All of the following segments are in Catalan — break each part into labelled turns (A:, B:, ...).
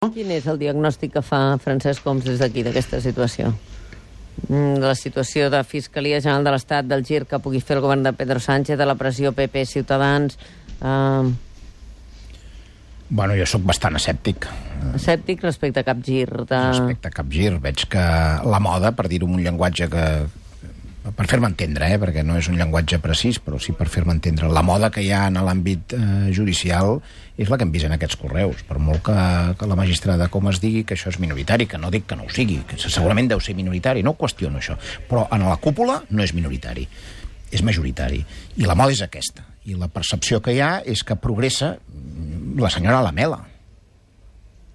A: Quin és el diagnòstic que fa Francesc Homs des d'aquí, d'aquesta situació? De la situació de Fiscalia General de l'Estat, del gir que pugui fer el govern de Pedro Sánchez, de la pressió PP Ciutadans...
B: Bueno, jo sóc bastant escèptic.
A: Escèptic respecte a cap gir de...
B: Respecte a cap gir. Veig que la moda, per dir-ho amb un llenguatge que... per fer-me entendre, perquè no és un llenguatge precís, però sí per fer-me entendre. La moda que hi ha en l'àmbit judicial és la que hem vist en aquests correus. Per molt que la magistrada com es digui que això és minoritari, que no dic que no ho sigui, que segurament deu ser minoritari, no ho qüestiono això, però en la cúpula no és minoritari, és majoritari. I la moda és aquesta. I la percepció que hi ha és que progressa la senyora Lamela,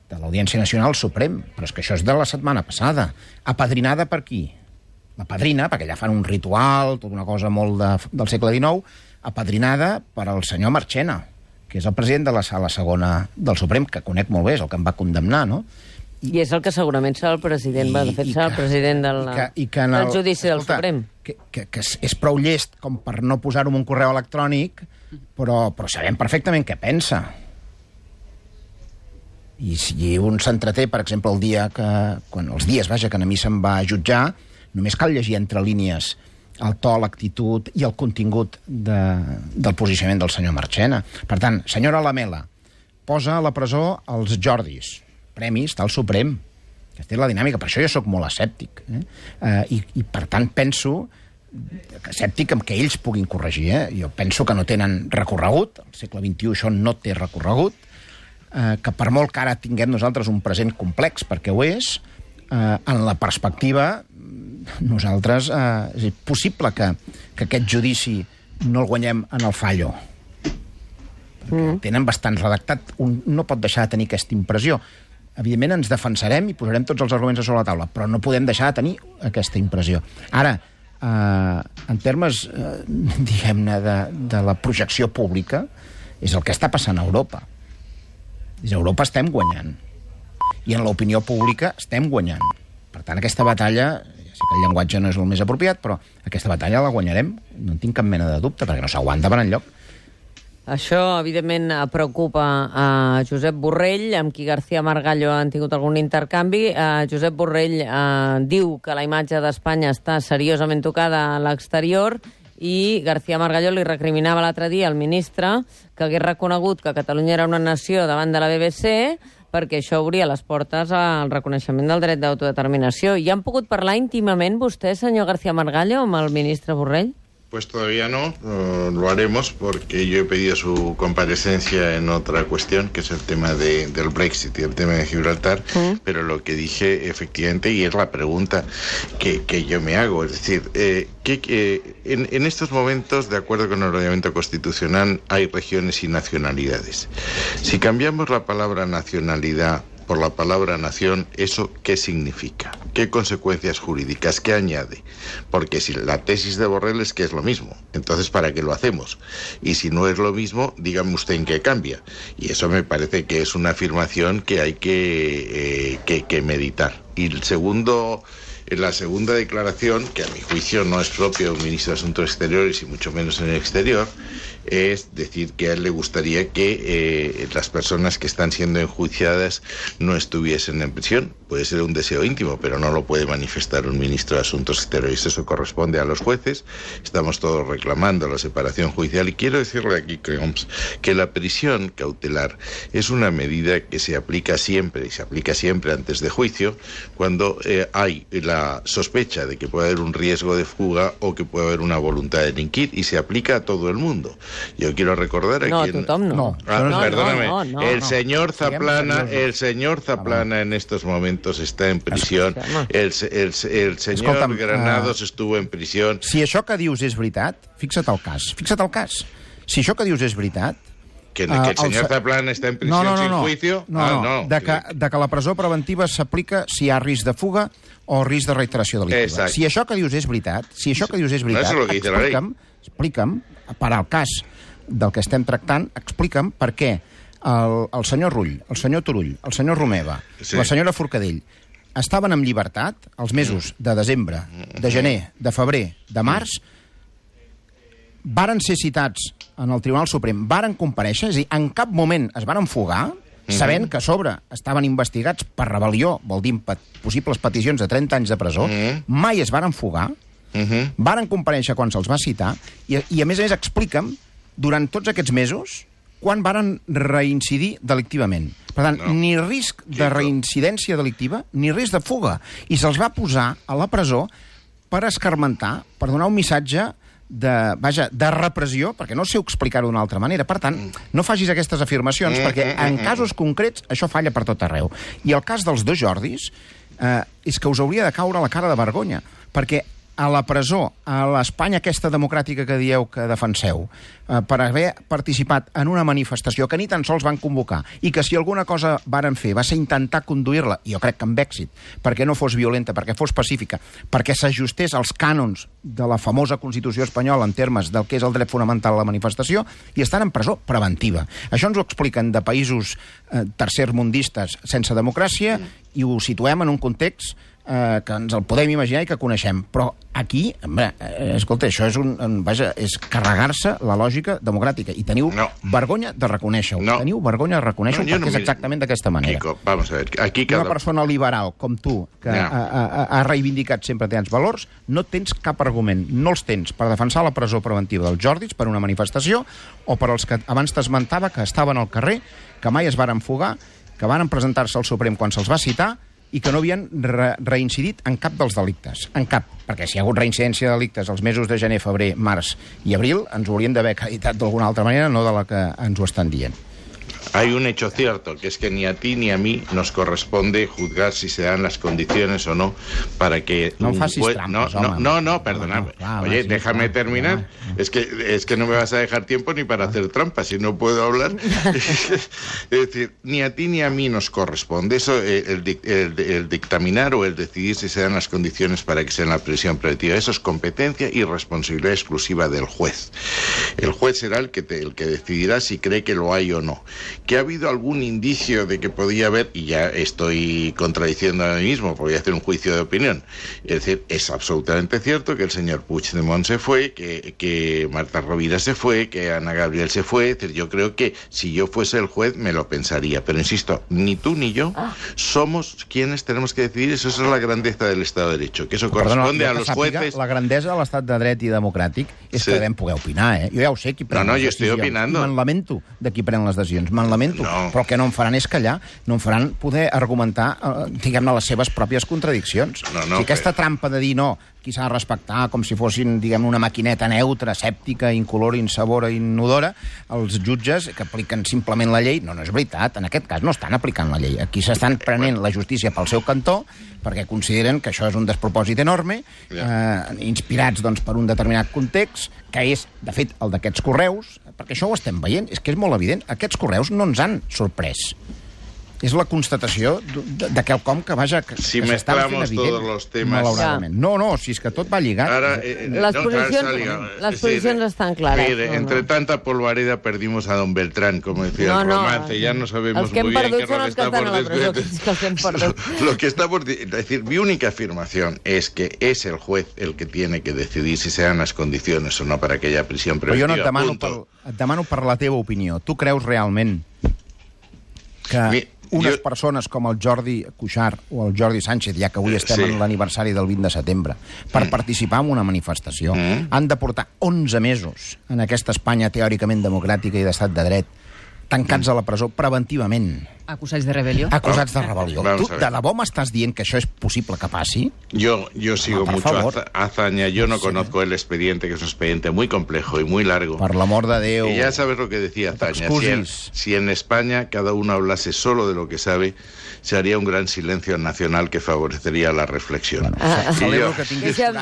B: de l'Audiència Nacional al Suprem, però és que això és de la setmana passada. Apadrinada per qui? La padrina, perquè allà fan un ritual, tota una cosa molt del segle XIX, apadrinada per al senyor Marchena, que és el president de la Sala Segona del Suprem, que conec molt bé, és el que em va condemnar, no?
A: I és el que segurament serà el president, de fet serà el president del judici del Suprem.
B: Que és prou llest com per no posar-ho en un correu electrònic, però sabem perfectament què pensa. I si un s'entreté, per exemple, els dies que a mi se'm va jutjar, només cal llegir entre línies el to, l'actitud i el contingut del posicionament del senyor Marchena. Per tant, senyora Lamela, posa a la presó els Jordis, premis del Suprem. Aquesta és la dinàmica, per això jo sóc molt escèptic. I per tant penso, escèptic amb que ells puguin corregir. Jo penso que no tenen recorregut, al segle XXI això no té recorregut, que per molt que ara tinguem nosaltres un present complex, perquè ho és, en la perspectiva nosaltres és possible que aquest judici no el guanyem en el fallo, perquè tenen bastant redactat. Un no pot deixar de tenir aquesta impressió. Evidentment ens defensarem i posarem tots els arguments a sobre la taula, però no podem deixar de tenir aquesta impressió. Ara, en termes diguem-ne de la projecció pública, és el que està passant a Europa. A Europa estem guanyant i en l'opinió pública estem guanyant. Per tant, aquesta batalla, ja sé que el llenguatge no és el més apropiat, però aquesta batalla la guanyarem, no en tinc cap mena de dubte, perquè no s'aguanta per enlloc.
A: Això, evidentment, preocupa a Josep Borrell, amb qui García Margallo han tingut algun intercanvi. Josep Borrell diu que la imatge d'Espanya està seriosament tocada a l'exterior i García Margallo li recriminava l'altre dia al ministre que hagués reconegut que Catalunya era una nació davant de la BBC perquè això obria les portes al reconeixement del dret d'autodeterminació. I han pogut parlar íntimament vostè, senyor García Margallo, amb el ministre Borrell?
C: Pues todavía no, lo haremos porque yo he pedido su comparecencia en otra cuestión, que es el tema del Brexit y el tema de Gibraltar, pero lo que dije efectivamente, y es la pregunta que yo me hago, es decir, en estos momentos, de acuerdo con el ordenamiento constitucional, hay regiones y nacionalidades. Si cambiamos la palabra nacionalidad por la palabra nación, ¿eso qué significa? ¿Qué consecuencias jurídicas? ¿Qué añade? Porque si la tesis de Borrell es que es lo mismo, entonces ¿para qué lo hacemos? Y si no es lo mismo, dígame usted en qué cambia. Y eso me parece que es una afirmación que hay que meditar. Y la segunda declaración, que a mi juicio no es propio de un ministro de Asuntos Exteriores y mucho menos en el exterior, es decir que a él le gustaría que las personas que están siendo enjuiciadas no estuviesen en prisión. Puede ser un deseo íntimo, pero no lo puede manifestar un ministro de Asuntos Exteriores. Eso corresponde a los jueces. Estamos todos reclamando la separación judicial. Y quiero decirle aquí, que la prisión cautelar es una medida que se aplica siempre, y se aplica siempre antes de juicio, cuando hay la sospecha de que puede haber un riesgo de fuga o que puede haber una voluntad de delinquir, y se aplica a todo el mundo. Yo quiero recordar a quien...
A: Perdóname.
C: El señor Zaplana en estos momentos està en prisió. El senyor Granados estuvo en prisió.
B: Si això que dius és veritat, fixa't el cas. Si això que dius és veritat...
C: Que el senyor Zaplana està en prisió sin juicio?
B: De que la presó preventiva s'aplica si hi ha risc de fuga o risc de reiteració delictiva. Si això que dius és veritat, explica'm, per al cas del que estem tractant, explica'm per què el senyor Rull, el senyor Turull, el senyor Romeva, la senyora Forcadell estaven en llibertat els mesos de desembre, de gener, de febrer, de març, varen ser citats en el Tribunal Suprem, varen comparèixer, és a dir, en cap moment es varen fugar, sabent que a sobre estaven investigats per rebel·lió, vol dir possibles peticions de 30 anys de presó, mai es varen fugar, varen comparèixer quan se'ls va citar, i a més expliquen, durant tots aquests mesos, quan varen reincidir delictivament. Per tant, ni risc de reincidència delictiva, ni risc de fuga. I se'ls va posar a la presó per escarmentar, per donar un missatge de repressió, perquè no sé explicar-ho d'una altra manera. Per tant, no facis aquestes afirmacions, perquè en casos concrets això falla per tot arreu. I el cas dels dos Jordis és que us hauria de caure la cara de vergonya, perquè a la presó, a l'Espanya aquesta democràtica que dieu que defenseu, per haver participat en una manifestació que ni tan sols van convocar, i que si alguna cosa varen fer va ser intentar conduir-la, i jo crec que amb èxit, perquè no fos violenta, perquè fos pacífica, perquè s'ajustés als cànons de la famosa Constitució espanyola en termes del que és el dret fonamental a la manifestació, i estan en presó preventiva. Això ens ho expliquen de països tercermundistes sense democràcia, i ho situem en un context que ens el podem imaginar i que coneixem. Però aquí, escolta, això és carregar-se la lògica democràtica. I teniu vergonya de reconèixer-ho. Teniu vergonya de reconèixer-ho perquè és exactament d'aquesta manera.
C: Kiko, vamos a ver. Aquí
B: Una persona liberal com tu, que ha reivindicat sempre tants valors, no tens cap argument. No els tens per defensar la presó preventiva dels Jordis per una manifestació o per als que abans t'esmentava que estaven al carrer, que mai es varen fugar, que varen presentar-se al Suprem quan se'ls va citar i que no havien reincidit en cap dels delictes. En cap. Perquè si hi ha hagut reincidència de delictes els mesos de gener, febrer, març i abril, ens ho haurien d'haver acreditat d'alguna altra manera, no de la que ens ho estan dient.
C: Hay un hecho cierto, que es que ni a ti ni a mí nos corresponde juzgar si se dan las condiciones o no para que...
B: No facis trampes, home.
C: No, perdona. Oye, déjame terminar. Es que no me vas a dejar tiempo ni para hacer trampas, si no puedo hablar. Es decir, ni a ti ni a mí nos corresponde eso, el dictaminar o el decidir si se dan las condiciones para que sea en la prisión preventiva. Eso es competencia y responsabilidad exclusiva del juez. El juez será el que decidirá si cree que lo hay o no. Que ha habido algún indicio de que podía haber, y ya estoy contradiciendo a mí mismo, porque voy a hacer un juicio de opinión. Es decir, es absolutamente cierto que el señor Puigdemont se fue, que Marta Rovira se fue, que Ana Gabriel se fue. Es decir, yo creo que si yo fuese el juez me lo pensaría. Pero insisto, ni tú ni yo somos quienes tenemos que decidir. Eso es la grandeza del Estado de Derecho, que eso corresponde a los jueces.
B: La grandesa de l'Estat de Dret i democràtic és que devem poder opinar, Jo ja ho sé qui pren les decisions.
C: Jo estic opinando.
B: Me'n lamento de qui pren les decisions. Me'n lamento, però el que no em faran és callar, no em faran poder argumentar, diguem-ne, les seves pròpies contradiccions. Aquesta trampa de dir no, qui s'ha de respectar com si fossin, diguem, una maquineta neutra, escèptica, incolora, insabora, inodora, els jutges que apliquen simplement la llei, no és veritat, en aquest cas no estan aplicant la llei. Aquí s'estan prenent la justícia pel seu cantó, perquè consideren que això és un despropòsit enorme, inspirats per un determinat context, que és, de fet, el d'aquests correus, perquè això ho estem veient, és que és molt evident. Aquests correus no ens han sorprès. És la constatació de quelcom que, vaja, que s'està fent evident, malauradament. No, si és que tot va lligat.
A: Les posicions estan clares.
C: Mire, entre tanta polvareda perdimos a don Beltrán, como decía el romance, ya no sabemos muy bien qué rol está por descubrir. Lo que está por decir, mi única afirmación es que es el juez el que tiene que decidir si se dan las condiciones o no para aquella prisión preventiva.
B: Però jo no et demano per la teva opinió. Tu creus realment que unes persones com el Jordi Cuixart o el Jordi Sánchez, ja que avui estem en l'aniversari del 20 de setembre, per participar en una manifestació, han de portar 11 mesos en aquesta Espanya teòricament democràtica i d'estat de dret, tancats a la presó preventivament?
D: Acusats de rebel·lió.
B: Acusats de rebel·lió. Tu de debò m'estàs dient que això és possible que passi?
C: Yo sigo mucho hazaña. Yo no conozco el expediente, que es un expediente muy complejo y muy largo.
B: Por el amor de Déu.
C: Y ya sabes lo que decía Azaña. Si en España cada uno hablase solo de lo que sabe, se haría un gran silencio nacional que favorecería la reflexión.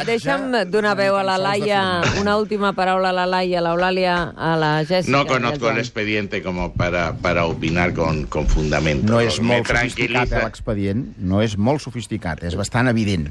A: Deixa'm donar veu a la Laia, una última paraula a la Laia, a l'Eulàlia, a la Jessica.
C: No conozco el expediente como para opinar con fundamento.
B: No és molt sofisticat l'expedient, no és molt sofisticat, és bastant evident.